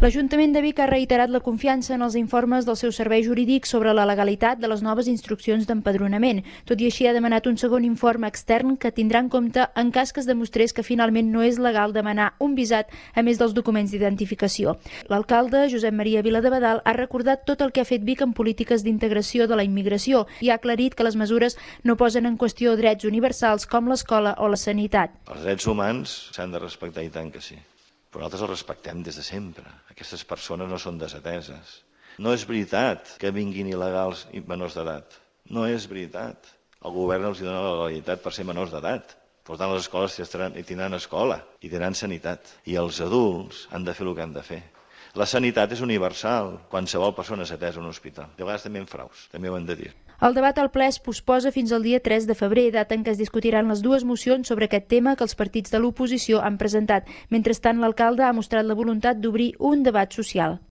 L'Ajuntament de Vic ha reiterat la confiança en els informes del seu servei jurídic sobre la legalitat de les noves instruccions d'empadronament. Tot i així, ha demanat un segon informe extern que tindrà en compte en cas que es demostrés que finalment no és legal demanar un visat a més dels documents d'identificació. L'alcalde, Josep Maria Viladebadal, ha recordat tot el que ha fet Vic en polítiques d'integració de la immigració i ha aclarit que les mesures no posen en qüestió drets universals com l'escola o la sanitat. Els drets humans s'han de respectar, i tant que sí. Però nosaltres els respectem des de sempre. Aquestes persones no són desateses. No és veritat que vinguin il·legals i menors d'edat. No és veritat. El govern els dona la legalitat per ser menors d'edat. Per tant, les escoles hi tindran escola i tindran sanitat. I els adults han de fer el que han de fer. La sanitat és universal. Qualsevol persona és atesa a un hospital. De vegades també en fraus, també ho hem de dir. El debat al ple es posposa fins al dia 3 de febrer, data en què es discutiran les dues mocions sobre aquest tema que els partits de l'oposició han presentat. Mentrestant, l'alcalde ha mostrat la voluntat d'obrir un debat social.